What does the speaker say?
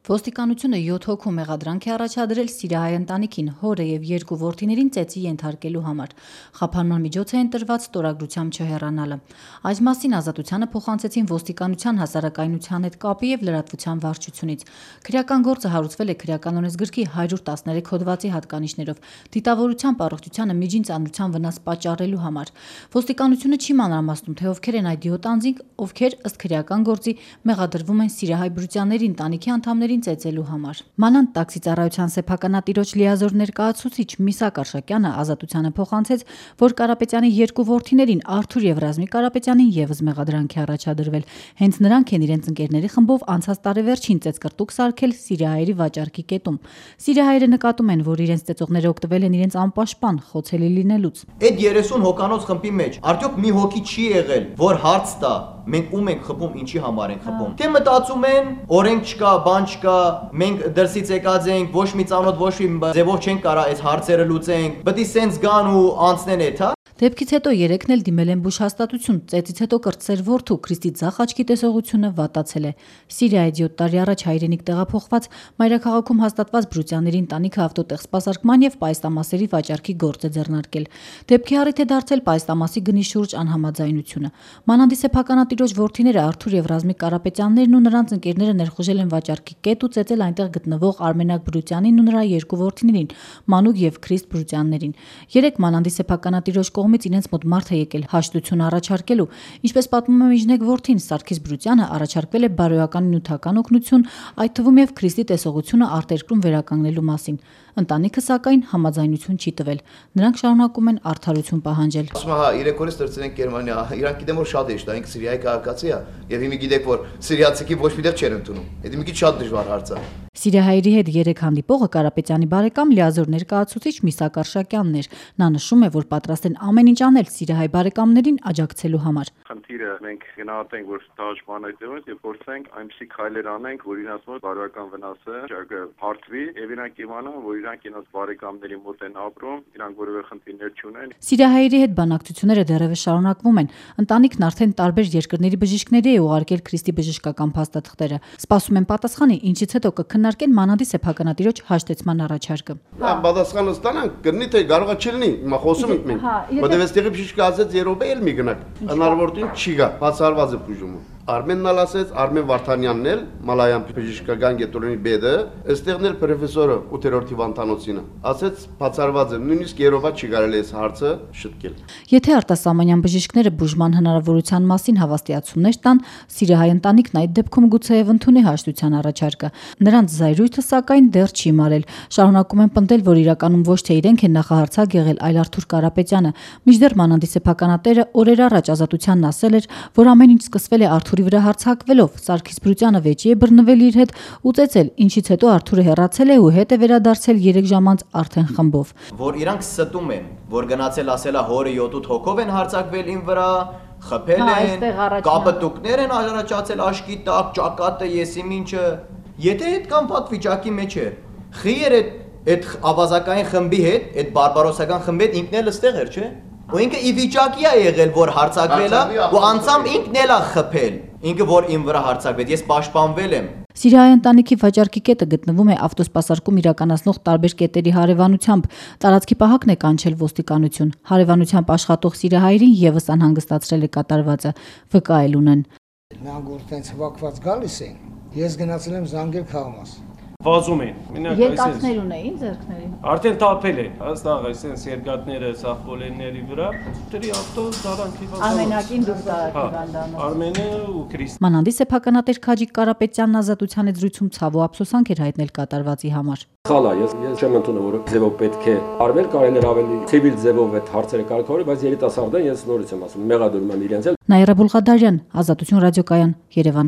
Ոստիկանությունը 7 հոգու մեղադրանք է առաջադրել սիրիահայ ընտանիքին, հորը եւ 2 որդիներին ծեծի ենթարկելու համար։ Խափանման միջոց է ընտրված ստորագրությամբ չհեռանալը։ Այս մասին Ազատությանը փոխանցեցին ոստիկանության հասարակայնության հետ կապի եւ լրատվության վարչությունից։ Քրեական գործը հարուցվել է քրեական օրենսգրքի 113 հոդվածի հատկանիշներով, դիտավորությամբ առողջությանը միջին ծանրության վնաս պատճառելու համար։ Ոստիկանությունը չի մանրամասնում, թե ովքեր են այդ 7 անձինք, ովքեր ըստ քրեական գործի մեղադրվում են սիրիահայ բրությանների ընտանիքի անդամների ծեծելու համար։ Մանանտ տաքսի ծառայության սեփականատիրոջ լիազոր ներկայացուցիչ Միսակ Արշակյանը Ազատությանը փոխանցեց, որ Կարապետյանի 2 որդիներին Արթուր եւ Ռազմիկ Կարապետյանին եւս մեղադրանք է առաջադրվել։ Հենց նրանք են իրենց ընկերների խմբով անցած տարեվերջին ծեծկրտուկ սարքել սիրիահայերի վաճառքի կետում։ Սիրիահայերը նկատում են, որ իրենց ծեծողները օգտվել են իրենց անպաշտպան խոցելի լինելուց։ Այդ 30 հոկանոց խմբի մեջ արդյոք մի հոգի չի եղել, որ հարց տա մենք ում ենք խփում, ինչի համար ենք խփում։ Թե մտածում են, օրենք չկա, բան չկա, մենք դրսից եկած ենք, ոչ մի ծանոթ, ոչ մի ձևով չենք կարա այս հարցերը լուծենք, պետք է սենց գան ու անցնեն այդ, հա։ Դեպքից հետո երեքն էլ դիմել են բուժ հաստատություն, ծեծից հետո կրտսեր որդու Քրիստի ձախ աչքի տեսողությունը վատացել է։ Սիրիայից 7 տարի առաջ հայրենիք տեղափոխված մայրաքաղաքում հաստատված բրությանների ընտանիքը ավտոտեղ սպասարկման եւ պայստամասերի վաճառքի գործ է ձեռնարկել։ Դեպքի առիթ է դարձել պայստամասի գնի շուրջ անհամաձայնությունը։ Մանանդի սեփականատիրոջ որդիները Արթուր եւ Ռազմիկ Կարապետյաններն ու նրանց ընկերները ներխուժել են վաճառքի կետ ու ծեծել այնտեղ գտնվող Արմենակ Բրությանին ու նրա 2 որդիներին՝ Մանուկ եւ Քրիստ Բրությաններին։ Երեք Մանանդի սեփականատիրոջ կողմից իրենց մոտ մարդ է եկել հաշտություն առաջարկելու։ Ինչպես պատմում է Միջնեկ որդին Սարգիս Բրությանը, առաջարկվել է բարոյական նյութական օգնություն, այդ թվում եւ Քրիստի տեսողությունը արտերկրում վերականգնելու մասին։ Ընտանիքը սակայն համաձայնություն չի տվել։ Նրանք շարունակում են արդարություն պահանջել։ Ասում հա 3 օրից դրցնենք Գերմանիա, իրանք գիտեմ որ շատ է շտա, ինքը Սիրիայի քաղաքացի է, եւ հիմա գիտեք որ սիրիացիքի ոչ մի տեղ չեն ընդունում։ Դա մի քիչ շատ դժվար հարց է։ Սիրիահայերի հետ 3 հանդիպողը Կարապետյանի բարեկամ լիազոր ներկայացուցիչ Միսակ Արշակյանն էր։ Նա նշում է, որ պատրաստ են ամեն ինչ անել սիրիահայ բարեկամներին աջակցելու համար։ Խնդիրը մենք գնահատենք, որ դաշտման այդտեղից եւ փորձենք այնպիսի քայլեր անենք, որ իրաց մոտ բարոյական վնասը հարթվի եւ իրանք իմանան, որ իրանք իրաց բարեկամների մոտ են ապրում, իրանք որևէ խնդիրներ չունեն։ Սիրիահայերի հետ բանակցությունները դեռևս շարունակվում են։ Ընտանիքն արդեն տարբեր երկրների բժիշկների է ուղարկել Քրիստի բժշկական փաստաթղթերը։ Սպասում են պատասխանի, ինչից հետո կքննարկեն Մանանդի սեփականատիրոջ հաշտեցման առաջարկը։ Պատասխանը ստանանք, կլինի թե կարողա չլինի, հիմա խոսում ենք մենք։ Որտեւ այստեղի բժիշկը ասեց երբե էլ մի գնաք։ Հնարավորություն չի գա, բացառված է բուժումը։ Արմենն ալ ասեց, Արմեն Վարդանյանն էլ Մալայան բժշկական կենտրոնի բեդը, այստեղն էլ պրոֆեսորը 8-րդ հիվանդանոցինը, ասեց բացառված է, նույնիսկ երովա չի կարելի այս հարցը շտկել։ Եթե արտասահմանյան բժիշկները բուժման հնարավորության մասին հավաստիացումներ տան, սիրիահայ ընտանիքն այդ դեպքում գուցեև ընդունի հաշտության առաջարկը։ Նրանց զայրույթը սակայն դեռ չի մարել։ Շարունակում են պնդել, որ իրականում ոչ թե իրենք են նախահարցակ եղել, այլ Արթուր Կարապետյանը։ Մինչդեռ Մանանդի սեփականատերը օրեր առաջ Ազատությանն ասել էր, որ ամեն ինչ սկսվել է Արթուրի վրա հարձակվելով, Սարգիս Բրությանը վեճի է բռնվել իր հետ ու ծեծել, ինչից հետո Արթուրը հեռացել է ու հետ է վերադարձել 3 ժամ անց արդեն խմբով։ Որ իրանք ստում են, որ գնացել ասել է հորը 7-8 հոգով են հարձակվել ին վրա, խփել են, կապտուկներ են առաջացել աշկի տակ, ճակատը, եսիմ ինչը։ Եթե այդ կամ պատվիճակի մեջ է, խիեր այդ ավազակային խմբի հետ, այդ բարբարոսական խմբի հետ ինքն էլ ստեղ էր, չէ՞։ Ու ինքը ի վիճակի է եղել, որ հարձակվել է, ու անցամ ինքն էլ է խփել, ինքը որ իմ վրա հարձակվեց, ես պաշտպանվել եմ։ Սիրիահայ ընտանիքի վաճառքի կետը գտնվում է ավտոսպասարկում իրականացնող տարբեր կետերի հարևանությամբ։ Տարածքի պահակն է կանչել ոստիկանություն։ Հարևանությամբ աշխատող սիրիահայերին եւս անհանգստացրել է կատարվածը, վկայել ունեն։ Նրանք որ տենց հավաքված գալիս են, ես գնացել եմ Զանգեր քաղաք։ Վազում են։ Երկաթներ ունեին ձեռքներին։ Արդեն թափել է, հստակ այսպես երկաթները սախպոլենների վրա, դրի ավտո դարանքի վազան։ Արմենակին դուրս դարակի Արմենը ու Քրիստ։ Մանանդի սեփականատեր Քաջիկ Կարապետյանն Ազատության հետ զրույցում ցավ ու ափսոսանք էր հայտնել կատարվածի համար։ Խալա, ես չեմ ընդունում, որ ձևով պետք է արվել, կարելի էր ավելի ցիվիլ ձևով այդ հարցերը կարգավորել, բայց երիտասարդը ես նորից եմ ասում, մեղադրում եմ իրենց էլ։ Նաիրա Բուլղադարյան, Ազատություն ռադիոկայան, Երևան։